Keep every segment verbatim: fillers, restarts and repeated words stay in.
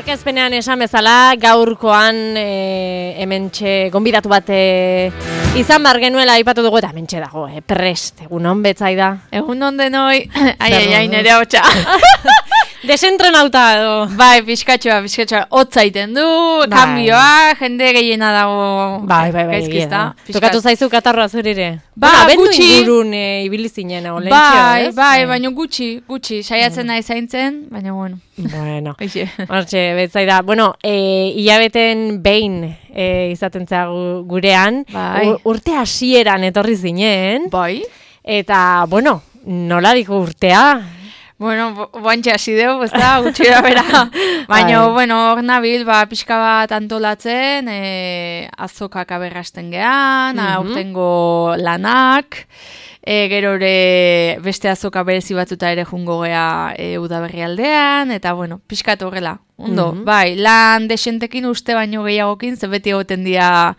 aurkezpenean esan bezala, gaurkoan e, hementxe gonbidatu bat e, izan bar genuela aipatu dugu eta hementxe dago, e, prest, egunon betzaida. Egunon denoi, ai, ai, ai, nere hotxa. Desentrenauta edo. Bai, pixkatxoa, pixkatxoa, hotza iten du, bai. Kanbioa, jende gehiena dago. Bai, bai, bai, gaizkizta. Tokatu zaizu katarroa zurire. Ba, bueno, gutxi. Ingurun e, ibili zinen, olentxio, bai, ez? bai, baina gutxi, gutxi, saiatzen nahi zaintzen, baina bueno. Bueno, hortxe, betzaida. Bueno, e, hilabeten behin e, izaten zea gurean, bai. urte hasieran etorri zinen. Bai. Eta, bueno, nola diko urtea? Bueno, boantxe hasi deu, ez da, gutxira bera. Baina, bueno, hor nabil, ba, pixka bat antolatzen, e, azokak aberrasten gehan, mm-hmm. aurtengo lanak, e, gero ere beste azoka berezi batzuta ere jungo gea e, udaberri aldean, eta, bueno, pixka horrela, ondo, mm-hmm. bai, lan desentekin uste baino gehiagokin, ze beti egoten dira...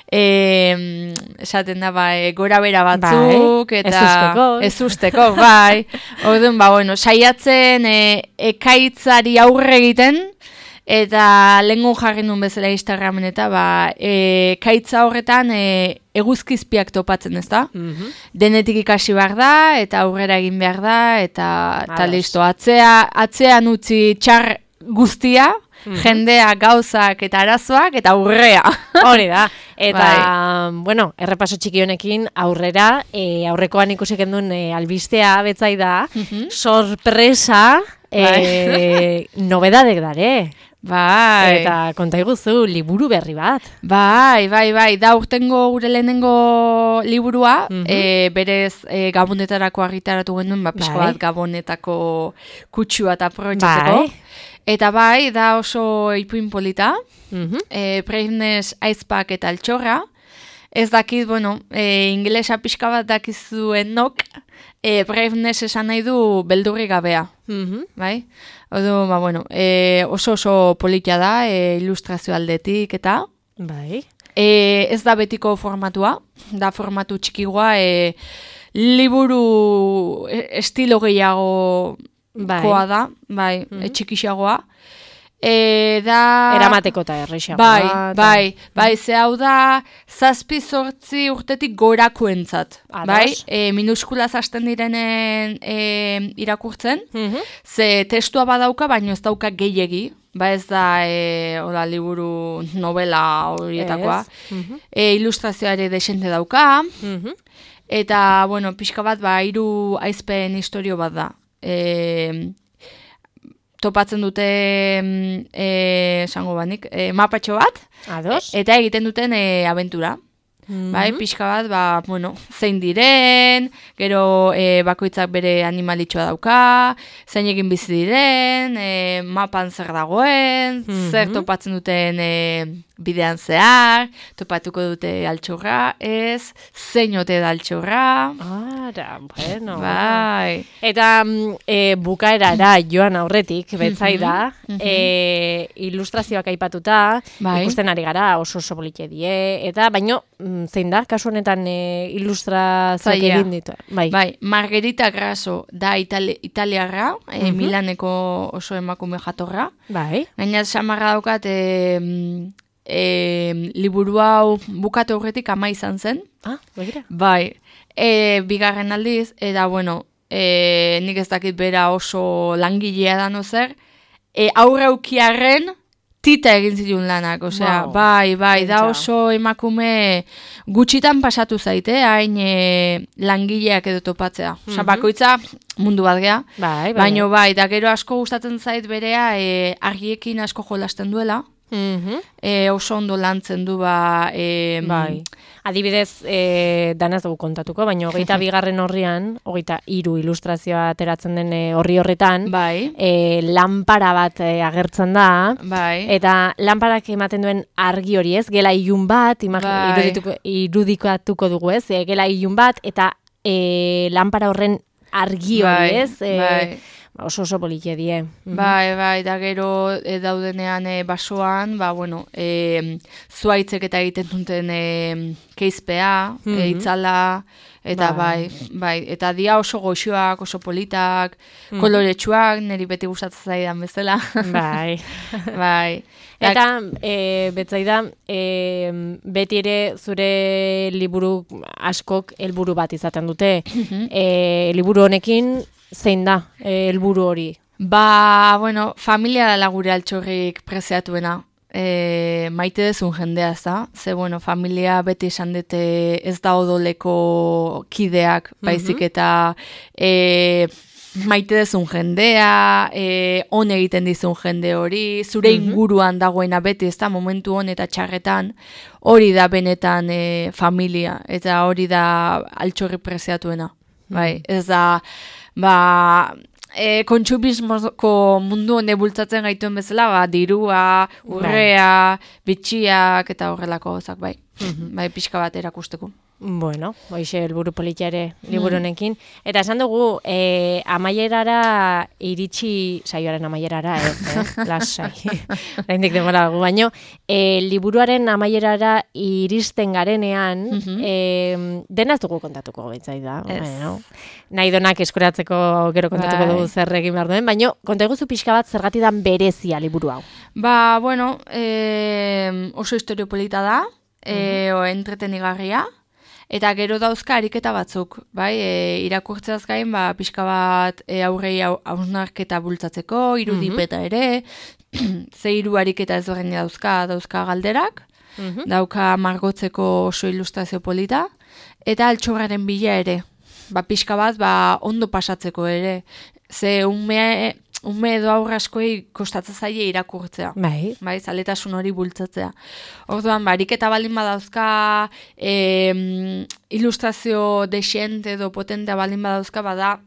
E, esaten da, bai, gora bera batzuk, bai, eta ez usteko, ez usteko, bai. Orduan, ba, bueno, saiatzen e, ekaitzari aurre egiten, eta lehengun jarri nun bezala Instagramen eta, ba, e, ekaitza horretan e, eguzkizpiak topatzen, ez da? Mm-hmm. Denetik ikasi behar da, eta aurrera egin behar da, eta, eta listo, atzea, atzean utzi txar guztia, mm-hmm. jendea, gauzak eta arazoak eta aurrea. Hori da. Eta, bai. bueno, errepaso txiki honekin aurrera, e, aurrekoan ikusik endun e, albistea betzai da, mm-hmm. sorpresa, e, bai. nobedadek dare. Bai. Eta konta iguzu, liburu berri bat. Bai, bai, bai, da urtengo gure lehenengo liburua, mm-hmm. e, berez e, gabonetarako argitaratu genuen, ba, pixko bai. bat gabonetako kutsua eta aprobetxatzeko. Bai. Eta bai, da oso ipuin polita, mm-hmm. e, Braveness aizpak eta altxorra. Ez dakit, bueno, e, ingelesa pixka bat dakizuen nok, e, Braveness esan nahi du beldurri gabea. Mm-hmm. Bai? Odo, ba, bueno, e, oso oso politia da, e, ilustrazio aldetik eta. Bai. E, ez da betiko formatua, da formatu txikigoa, e, liburu estilo gehiago... Bai. Koa da, bai, mm-hmm. txikixagoa. E, da... Eramateko eta errexagoa. Bai, bai, bai, ze hau da, zazpi zortzi urtetik gorakoentzat. Bai, e, minuskulaz hasten direnen e, irakurtzen, mm-hmm. ze testua badauka, baino ez dauka gehiegi. Ba ez da, e, oda, liburu novela horietakoa. Mm-hmm. E, ilustrazioa ere desente dauka. Mm-hmm. Eta, bueno, pixka bat, ba, hiru aizpen historio bat da. E, topatzen dute e, esango banik, e, mapatxo bat. Ados. Eta egiten duten e, abentura. Mm-hmm. Bai, pixka bat, ba, bueno, zein diren, gero e, bakoitzak bere animalitxoa dauka, zein egin bizi diren, e, mapan zer dagoen, mm-hmm. zer topatzen duten e, bidean zehar, topatuko dute altxorra, ez, zein ote da altxorra. Ara, bueno. Bai. Eta e, bukaerara joan aurretik, betzai da, mm-hmm. e, ilustrazioak aipatuta, bai. Ikusten ari gara, oso oso polite die, eta baino, zein da, kasu honetan e, ilustrazioak egin ditu. Bai. Bai, Margherita Grasso da itali, italiarra, e, mm-hmm. Milaneko oso emakume jatorra. Bai. Gainat samarra daukat, e, e, liburu hau bukatu horretik ama izan zen. Ah, begira. Bai, e, bigarren aldiz, eta bueno, e, nik ez dakit bera oso langilea da no zer, e, aurre aukiarren, tita egin zituen lanak, osea, wow. bai, bai, da oso emakume gutxitan pasatu zaite, hain e, langileak edo topatzea. Osea, mm-hmm. bakoitza mundu bat gea, bai, bai, baino bai, da gero asko gustatzen zait berea e, argiekin asko jolasten duela, mm-hmm. e, oso ondo lantzen du ba... E, bai. Adibidez, e, danaz dugu kontatuko, baina hogeita bigarren horrian, hogeita hiru ilustrazioa ateratzen den horri horretan, bai. e, lanpara bat e, agertzen da, bai. eta lanparak ematen duen argi hori ez, gela ilun bat, bai. irudikatuko dugu ez, e, gela ilun bat, eta e, lanpara horren argi hori bai. ez, e, bai. oso oso politia die. Bai, bai, da gero e, daudenean e, basoan, ba, bueno, e, zuaitzek eta egiten duten e, keizpea, mm -hmm. e, itzala, eta bai. bai, bai, eta dia oso goxoak, oso politak, mm. koloretsuak, niri beti gustatzen zaidan bezala. Bai. bai. Eta, e, betzaida, e, beti ere zure liburu askok helburu bat izaten dute. e, liburu honekin, zein da helburu hori? Ba, bueno, familia dela gure altxorrik preziatuena. E, maite dezun jendea, ez da? Ze, bueno, familia beti esan dute ez da odoleko kideak, baizik eta e, maite dezun jendea, e, on egiten dizun jende hori, zure inguruan dagoena beti, ez da, momentu hon eta txarretan, hori da benetan e, familia, eta hori da altxorrik preziatuena. Bai, ez da, ba, e, kontsumismoko mundu hone bultzatzen gaituen bezala, ba, dirua, urrea, bitxiak, eta horrelako gozak, bai. Bai, pixka bat erakusteko. Bueno, hoixe helburu politiare liburu honekin. Eta esan dugu, e, amaierara iritsi, saioaren amaierara, ez, eh? Lasai. Oraindik denbora dugu, baino, e, liburuaren amaierara iristen garenean, mm -hmm. e, dena ez dugu kontatuko betzai da. Bueno, nahi donak eskuratzeko gero kontatuko bai. Dugu zer egin behar duen, baino, kontaiguzu pixka bat zergatik dan berezia liburu hau. Ba, bueno, e, oso historio polita da, e, o entretenigarria, eta gero dauzka ariketa batzuk, bai, e, irakurtzeaz gain, ba, pixka bat e, aurrei hausnarketa bultzatzeko, irudipeta ere, ze hiru ariketa ezberdin dauzka, dauzka galderak, dauka margotzeko oso ilustrazio polita, eta altxorraren bila ere, ba, pixka bat, ba, ondo pasatzeko ere, ze ume... Ume edo aurra askoi kostatzen zaie irakurtzea. Bai. Bai, zaletasun hori bultzatzea. Orduan, barik eta baldin badauzka e, ilustrazio desente edo potentea baldin badauzka, bada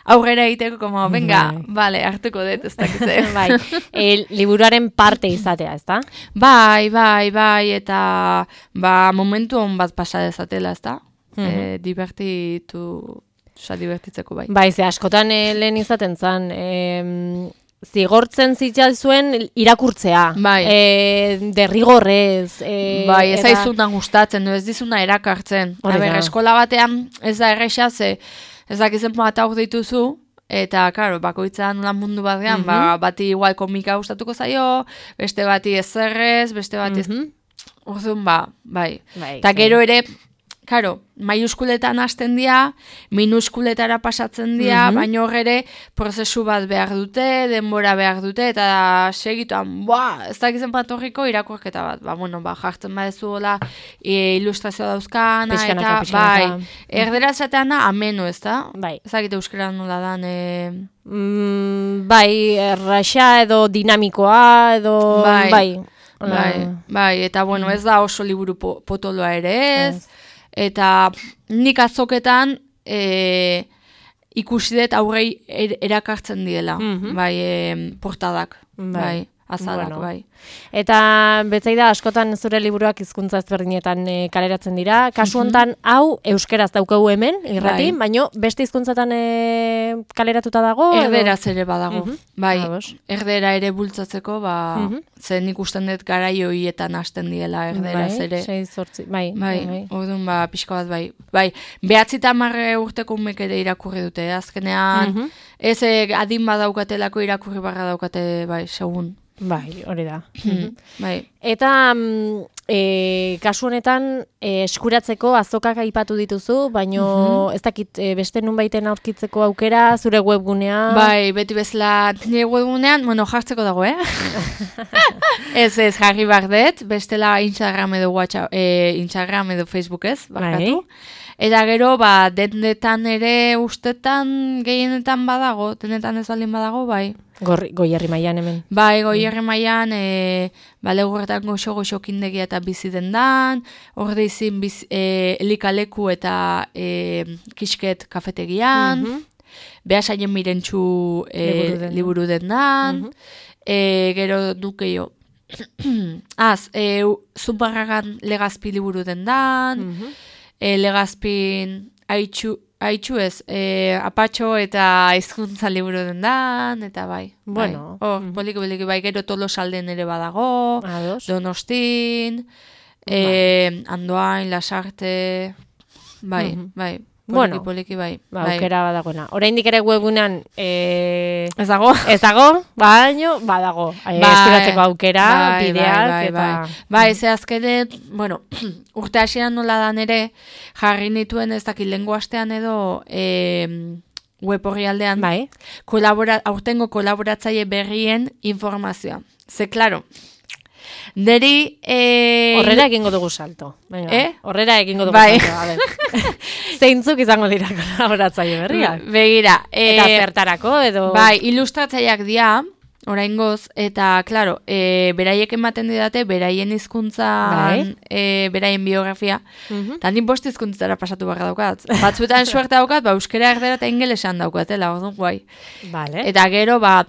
aurrera egiteko, como, venga, bai. Vale, hartuko dut, ez dakize. Bai, e, liburuaren parte izatea, ez da? Bai, bai, bai, eta ba, momentu hon bat pasa dezatela, ez da? Mm -hmm. e, divertitu... Osa, divertitzeko bai. Bai, ze askotan e, lehen izaten zan, e, zigortzen zitzal zuen irakurtzea. Bai. E, derrigorrez. E, bai, ez aizuna gustatzen, ez dizuna erakartzen. Aber, eskola batean ez da erresa, ze ez dakizen bat auk dituzu, eta, karo, bakoitzan lan mundu bat gehan, mm -hmm. ba, bati igual komika gustatuko zaio, beste bati ezerrez, beste bati ez... Mm -hmm. Orduan, ba, bai. Eta gero ere... Karo, maiuskuletan hasten dira, minuskuletara pasatzen dira, mm -hmm. baina horre prozesu bat behar dute, denbora behar dute, eta segituan, boa, ez dakizen patorriko irakurketa bat. Ba, bueno, ba, jartzen badezu hola, e, ilustrazio dauzkana, piskanaka, eta, piskanaka. bai, erdera zateana ameno, ez da? Bai. Ez dakite euskara nola dan, e... mm, bai, erraxa edo dinamikoa, edo, bai, bai, bai, bai, eta, bueno, ez da oso liburu po potoloa ere ez, eta nik azoketan e, ikusi dut aurrei er, erakartzen diela, mm -hmm. bai, e, portadak, bai, bai azalak, bueno. Bai. Eta betzaida askotan zure liburuak hizkuntza ezberdinetan e, kaleratzen dira. Kasu hontan mm -hmm. hau euskeraz daukagu hemen, irrati, bai. Baino beste hizkuntzatan e, kaleratuta dago? Erderaz ere badago, mm -hmm. bai, Agos. Erdera ere bultzatzeko, ba, mm -hmm. zen ikusten dut garai hoietan hasten diela erderaz bai, ere. Sei, zortzi, bai, bai, bai. Orduan, ba, pixka bat, bai. Bai, behatzi eta marre urteko umek ere irakurri dute, azkenean, mm -hmm. ez adin badaukatelako irakurri barra daukate, bai, segun. Bai, hori da. Mm-hmm. Bai. Eta e, kasu honetan e, eskuratzeko azokak aipatu dituzu, baino mm-hmm. ez dakit e, beste nunbaiten aurkitzeko aukera, zure webgunean. Bai, beti bezala nire webgunean, bueno, jartzeko dago, eh? ez ez, jarri bardet, bestela Instagram edo WhatsApp, e, Instagram edo Facebook ez, barkatu. Bai. Eta gero, ba, dendetan ere ustetan gehienetan badago, dendetan ez baldin badago, bai. Goierri mailan hemen. Bai, Goierri mailan, e, ba, legurretan goxo-goxo kindegia eta bizi dendan, horde izin biz, e, elikaleku eta e, kisket kafetegian, mm -hmm. behasaien mirentxu e, liburu dendan, mm -hmm. e, gero dukeio. Az, e, Zumbarragan legazpi liburu dendan, mm -hmm. E, legazpin haitxu, haitxu ez, e, apatxo eta hizkuntza liburu dendan, eta bai. Bueno. Bai. Oh, mm. Poliki, poliki, bai, gero Tolosalden ere badago, Ados. Donostin, e, Andoain, Lasarte, bai, mm-hmm. bai. Poliki, bueno, poliki, bai. Ba, aukera badagoena. Oraindik ere webunean e... ez dago? Ez dago, baino, badago. Bai, eskuratzeko aukera, bai, bideak, bai, bai, eta... Bai, bai ze azkene, bueno, urte hasieran nola dan ere, jarri nituen ez dakit lengo astean edo... E, web horri aldean, bai. kolabora, aurtengo kolaboratzaile berrien informazioa. Ze, klaro, neri... E... Horrera egingo dugu salto. Venga, eh? Horrera egingo dugu bai. salto. A ver. Zeintzuk izango dira kolaboratzaile berriak? Begira. E... Eta zertarako edo... Bai, ilustratzaileak dira, oraingoz, eta, klaro, e, beraiek ematen didate, beraien hizkuntzan, bai. e, beraien biografia, uh-huh. eta nin bost hizkuntzara pasatu barra daukat. Batzuetan suerte daukat, ba, euskera erdera eta ingelesan daukatela, orduan guai. Vale. Eta gero, ba,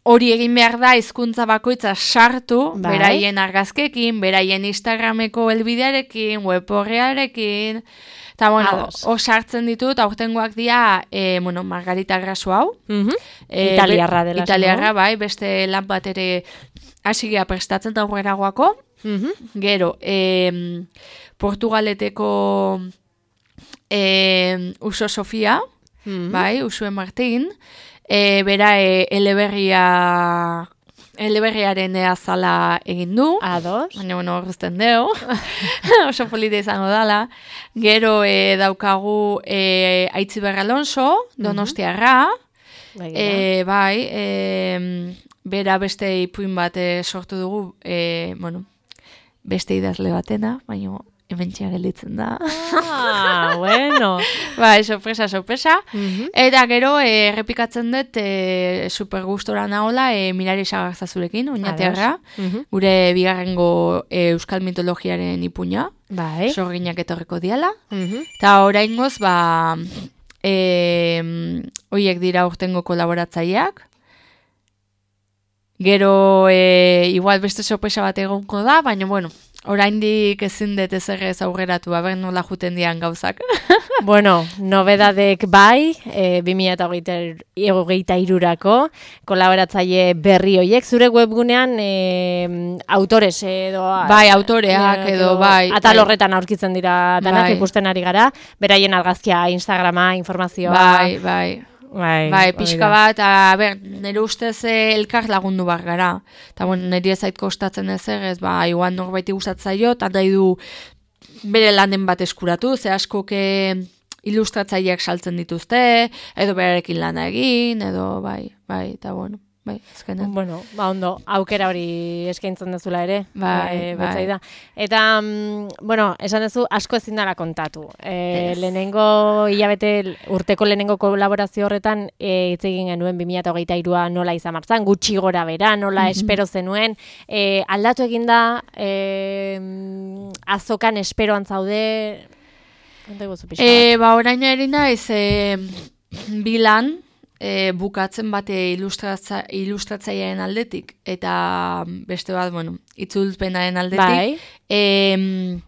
hori egin behar da hizkuntza bakoitza sartu, bai. Beraien argazkekin, beraien Instagrameko helbidearekin, web horrearekin, eta, bueno, hor sartzen ditut, aurtengoak dira, e, bueno, Margarita Grasu hau. Uh-huh. e, Italiarra dela. Italiarra, bai, beste lan bat ere hasigea prestatzen da aurreragoako. Uh-huh. Gero, e, Portugaleteko e, Uso Sofia, uh-huh. bai, Usue Martin, e, bera e, eleberria... Eleberriaren azala egin du. Ados. Baina, bueno, horrezten deu. Oso polita izango dala. Gero e, daukagu e, Aitziber Alonso, Donostiarra. Uh-huh. e, bai, e, bera beste ipuin bat e, sortu dugu, e, bueno, beste idazle batena, baina hemen gelditzen da. Ah, bueno. Bai, sorpresa, sorpresa. Uh-huh. Eta gero, e, errepikatzen dut, e, super gustora nahola, e, Mirari Sagarzazurekin, oinatearra, uh-huh. gure bigarrengo e, euskal mitologiaren ipuña, bai. Sorginak etorriko diala. Uh-huh. Eta oraingoz, ba, e, oiek dira urtengo kolaboratzaileak. Gero, e, igual beste sorpresa bat egonko da, baina, bueno, oraindik ezin dut ezer ez aurreratu, aber nola juten dian gauzak. Bueno, nobedadek bai, e, bi mila hogeita hirurako kolaboratzaile berri hoiek, zure webgunean e, autores edo... Bai, autoreak edo, edo bai. Atal horretan aurkitzen dira danak, bai. Ikusten ari gara, beraien argazkia, Instagrama, informazioa... Bai, bai. Bai, bai, pixka bat, a ber, nire ustez elkar lagundu bar gara. Eta, bueno, nire ezait kostatzen ezer, ez, ba, igual norbaiti gustatzaio, eta nahi du bere lanen bat eskuratu, ze askoke ilustratzaileak saltzen dituzte, edo berarekin lana egin, edo, bai, bai, eta, bueno, bai, ezkenean. Bueno, ba, ondo, aukera hori eskaintzen dezula ere, bai, bai. Da. Eta, mm, bueno, esan dezu, asko ezin dara kontatu. E, yes. Lehenengo, hilabete, urteko lehenengo kolaborazio horretan, e, hitz egin genuen bi mila hogeita hirua nola izan martzan, gutxi gora bera, nola mm-hmm. espero zenuen, e, aldatu egin da, e, azokan esperoan zaude, e, ba, orain erina ez, e, bilan, E, bukatzen bate ilustratza, ilustratzailearen aldetik eta beste bat, bueno, itzulpenaren aldetik. Bai. E,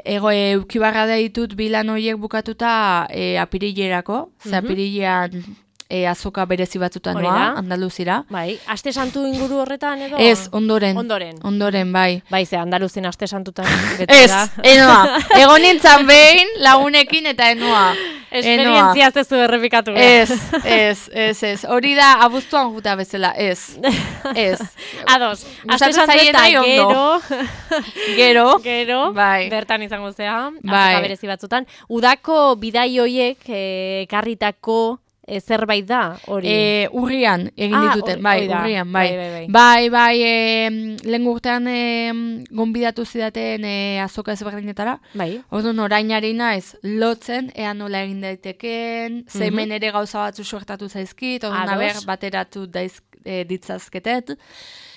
ego eukibarra da ditut bilan horiek bukatuta e, apirilerako, ze mm-hmm. apirilean e, azoka berezi batzutan noa, Andaluzira. Bai, aste santu inguru horretan edo? Ez, ondoren. Ondoren. Ondoren, bai. Bai, ze Andaluzin aste santutan ez, enoa. Egon nintzen behin lagunekin eta enoa. Esperientzia ez zu errepikatu. Ez, ez, ez, ez. Hori da abuztuan juta bezala, ez. Ez. Ados, aste santu eta gero. Gero. Gero. Bai. Bertan izango zea. Bai. Azoka berezi batzutan. Udako bidai hoiek ekarritako E, zerbait da, hori? E, urrian, egin ah, dituten, bai, da. urrian, bai. Bai, bai, bai. Bai, bai, e, lehen urtean e, gonbidatu zidaten e, azoka ezberdinetara. Bai. Orduan orainari naiz lotzen, ea nola egin daiteken, mm-hmm. zemen ere gauza batzu suertatu zaizkit, orduan aber bateratu daiz, e, ditzazketet.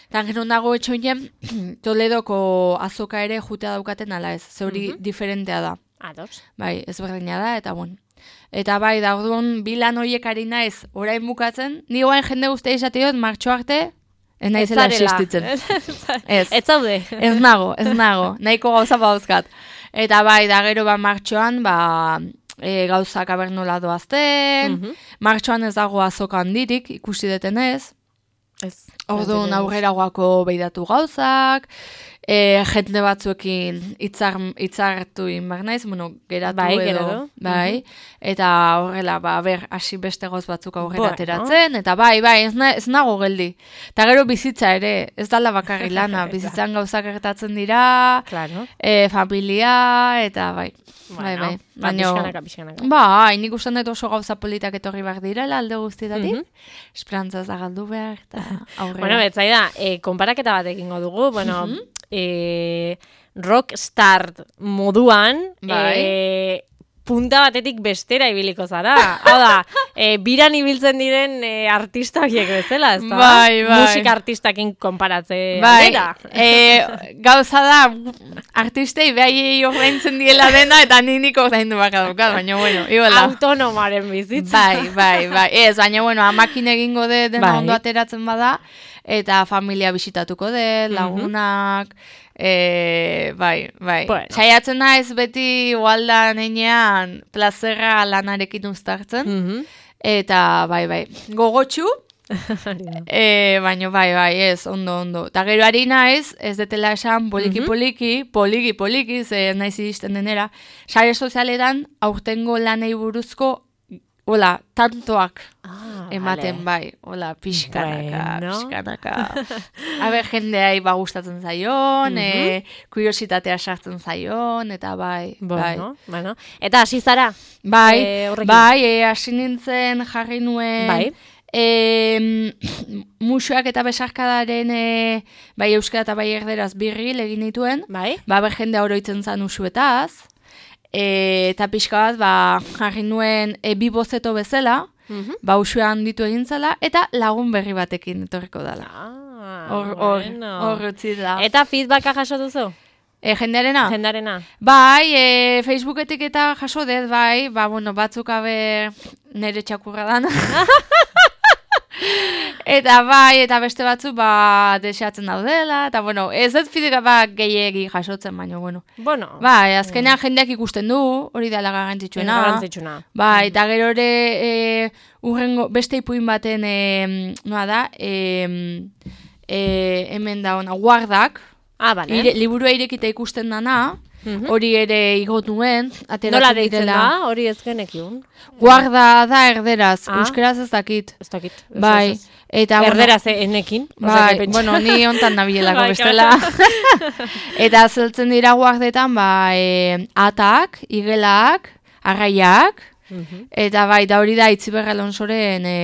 Eta gero nago etxoinen, Toledoko azoka ere jutea daukaten ala ez, zeuri mm-hmm. diferentea da. Ados. Bai, ezberdina da, eta bon. Eta bai, da orduan bilan horiek ari naiz orain bukatzen, ni oain jende guztia izatiot, martxo arte, ez naizela existitzen. Ez. Ez zaude. Ez nago, ez nago, nahiko gauza bauzkat. Eta bai, da gero ba martxoan, ba, e, gauzak abernola doazten, mm-hmm. martxoan ez dago azoka handirik, ikusi detenez, orduan aurreragoako beidatu gauzak, e, jende batzuekin itzar, itzartu inbar naiz, bueno, geratu bai, edo, geratu. bai, mm-hmm. eta horrela, ba, ber, hasi beste goz batzuk aurrera bueno. ateratzen, eta bai, bai, ez, na, ez nago geldi. Eta gero bizitza ere, ez dala bakarri lana, bizitzan gauzak gertatzen dira, claro. e, familia, eta bai, bueno, bai, bai. Ba, pixkanaka, pixkanaka. Bai, nik ustean dut oso gauza politak etorri behar direla, alde guztietatik, mm-hmm. esperantza ez da galdu behar, eta aurrera. Bueno, betzai da, e, konparaketa bat egingo dugu, bueno, mm-hmm. e, rockstar moduan, bai. e, punta batetik bestera ibiliko zara. Hau da, e, biran ibiltzen diren e, artista horiek bezala, ez da? Bai, bai. Musika artistakin konparatze bai. aldera. E, gauza da, artistei behai ordaintzen diela dena, eta ninik ordaindu baka dukat, baina bueno, iguala. Autonomaren bizitza. Bai, bai, bai. Ez, baina bueno, amakin egingo de dena bai. Ondo ateratzen bada, eta familia bisitatuko de, lagunak, mm-hmm. E, bai, bai. Bueno. Saiatzen naiz beti igualdan enean plazerra lanarekin uztartzen. Mm-hmm. Eta bai, bai. Gogotxu. e, baina bai, bai, ez, ondo, ondo. Ta gero ari naiz, ez detela esan poliki-poliki, poliki-poliki, ze naiz iristen denera. Sare sozialetan aurtengo lanei buruzko hola, tantoak ah, ematen vale. Bai, hola, pixkanaka, bueno. pixkanaka. Aber, jendeai ba gustatzen zaion, mm-hmm. e, kuriositatea sartzen zaion, eta bai, bueno, bai. Bueno. Eta hasi zara? Bai, e, bai, e, hasi nintzen jarri nuen, bai. E, musuak eta besarkadaren e, bai euskara eta bai erderaz birri egin dituen, bai. Ba, ber jendea oroitzen zan usuetaz, E, eta pixka bat, ba, jarri nuen e, bi bozeto bezala, mm-hmm. ba, usuan ditu egin zela, eta lagun berri batekin etorriko dela. Ah, hor, bueno. Hor, utzi da. Eta feedbacka jaso duzu? E, jendearena? Jendearena. Bai, e, Facebooketik eta jaso dut, bai, ba, bueno, batzuk abe nere txakurra dana. Eta bai, eta beste batzu, ba, deseatzen daudela, eta bueno, ez ez fideka ba gehiegi jasotzen, baina, bueno. Bueno. Bai, azkenean mm. jendeak ikusten du, hori dela garrantzitsuena. Garrantzitsuena. Bai, eta gero ere, e, urrengo, beste ipuin baten, e, noa da, e, e, hemen da ona, guardak, ah, bale. ire, liburua irekita ikusten dana, mm-hmm. hori ere igot nuen, ateratzen nola deitzen direla. da, hori ez genekiun. Guarda da erderaz, ah. euskeraz ez dakit. Ez dakit. Bai. Eta, erderaz bueno, enekin. Bai, bueno, ni ontan nabielako bestela. Eta zeltzen dira guardetan, ba, e, atak, igelak, arraiak, mm-hmm. eta bai, da hori da Itziber Alonsoren e,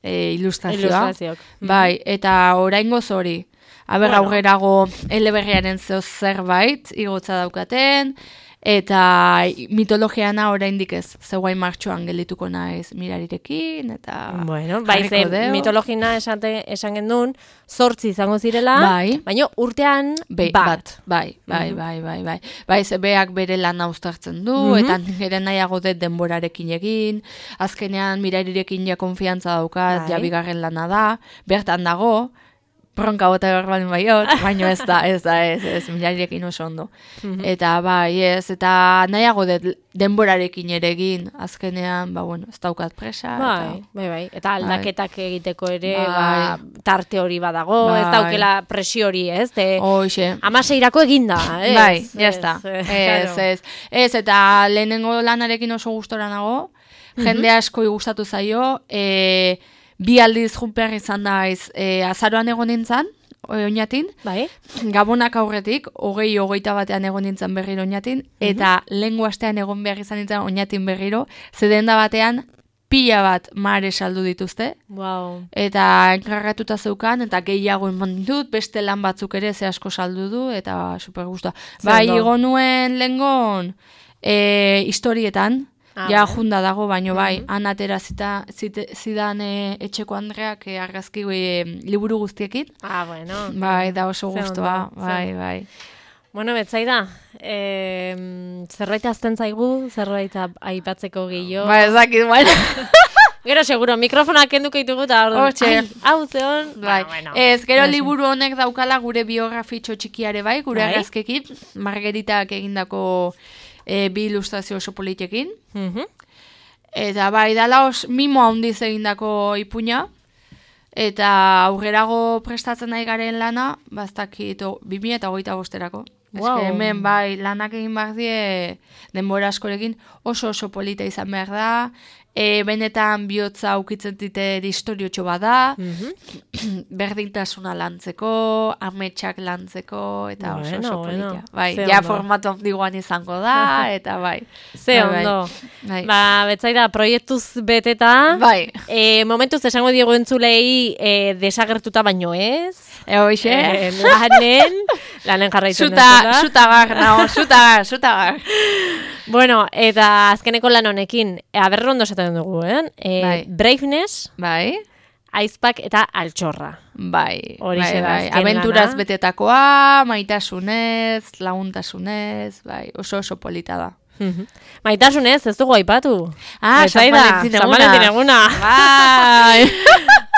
e, ilustrazioa. Ilustrazioak. Bai, eta oraingoz hori. Aber, bueno. Aurrerago eleberriaren zeo zerbait, igotza daukaten, eta mitologiana oraindik ez, zeuain martxoan gelituko naiz mirarirekin, eta bueno, bai, ze mitologina esan, esan gendun, zortzi izango zirela, bai. Baina urtean Be, bat. bat. Bai, bai, bai, bai, bai. Bai, ze beak bere lana uztartzen du, mm-hmm. eta nire nahiago dut denborarekin egin, azkenean mirarirekin ja konfiantza daukat, bai. Ja bigarren lana da, bertan dago, bronka bota behar baldin baiot, baina ez da, ez da, ez, ez, milarirekin oso ondo. Mm-hmm. Eta, bai, ez, eta nahiago de, denborarekin ere egin, azkenean, ba, bueno, ez daukat presa. Bai, eta, bai, bai, eta aldaketak bai. Egiteko ere, bai. Ba, tarte hori badago, bai. Ez daukela presio hori, ez? De, Hoxe. Amaseirako eginda, ez? Bai, jazta, ez, ez, ez, ez, eta lehenengo lanarekin oso gustora nago, mm-hmm. jende asko gustatu zaio, e, bi aldiz junpear izan daiz, e, azaroan egon nintzen, oinatin, bai. Gabonak aurretik, hogei, hogeita batean egon nintzen berriro oinatin, mm-hmm. eta lehengo astean egon behar izan nintzen oinatin berriro, zedenda batean, pila bat mare saldu dituzte, wow. Eta enkargatuta zeukan, eta gehiago eman ditut, beste lan batzuk ere ze asko saldu du, eta super gustoa. Bai, igo nuen lehengon, e, historietan, Ah, ja, junda dago, baino bai, mm-hmm. han atera zita, zite, zidan e, etxeko Andreak e, argazki e, liburu guztiekin. Ah, bueno. Bai, da oso guztua, bai, bai. Bueno, betzai da, e, zerbait azten zaigu, zerbait aipatzeko gehiago. Ba, ezakit, bueno. Gero, seguro, mikrofonak kenduko ditugu eta orduan, hau zeon. Bai. Bueno, ez, gero no, liburu honek daukala gure biografitxo txikiare bai, gure bai? Argazkekin, Margeritak egindako e, bi ilustrazio oso politekin. Mm-hmm. Eta bai, dala os, mimo handiz egindako ipuina, eta aurrerago prestatzen nahi garen lana, baztakit, bi mila eta hogeita bosterako. Wow. Eske hemen bai, lanak egin behar die denbora askorekin oso oso polita izan behar da, e, benetan bihotza ukitzen dite historiotxo bada, mm-hmm. berdintasuna lantzeko, ametsak lantzeko, eta oso bueno, oso politia. Bueno. Bai, ze ja ondo. Formatu handiguan izango da, eta bai. Ze bai, ondo. Bai. Ba, betzaida, proiektuz beteta, bai. E, momentuz esango diego entzulei e, desagertuta baino ez. E, hoxe? E, lanen, lanen jarraitzen Zuta, zutagar, nao, zutagar, zutagar. Bueno, eta azkeneko lan honekin, aberro ondo esaten dugu, eh? E, bai. Braveness, bai. Aizpak eta altxorra. Bai, Horixe bai, bai. Abenturaz lana. Betetakoa, maitasunez, laguntasunez, bai, oso oso polita da. Maitasunez, ez dugu aipatu. Ah, San Valentin eguna. Bai.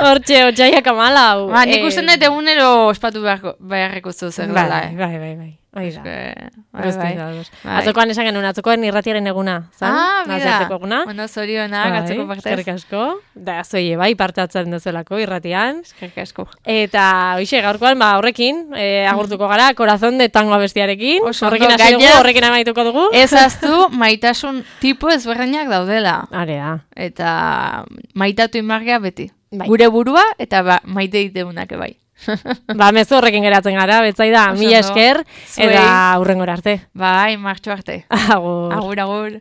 Hortxe, otxaiak amalau. Ba, nik usten dut egunero ospatu beharreko zuzen. Bai, bai, bai, bai. Oida. Bai, bai. bai. Atzokoan esan genuen, atzokoan irratiaren eguna. Zan? Ah, bida. Eguna. Bueno, zorionak, bai, atzoko partez. Eskerrik asko. Da, zoie, bai, parte atzen dezuelako irratian. Eskerrik asko. Eta, hoxe, gaurkoan, ba, horrekin, e, agurtuko gara, Corazón de Tango abestiarekin. Oso, horrekin hasi dugu, horrekin amaituko dugu. Ez aztu, maitasun tipo ezberdinak daudela. Area. Eta maitatu inmargia beti. Bai. Gure burua, eta ba, maite diteunak bai. Ba, mezu horrekin geratzen gara, betzaida, mila esker, eta hurrengora arte. Bai, martxo arte. Agur. Agur, agur.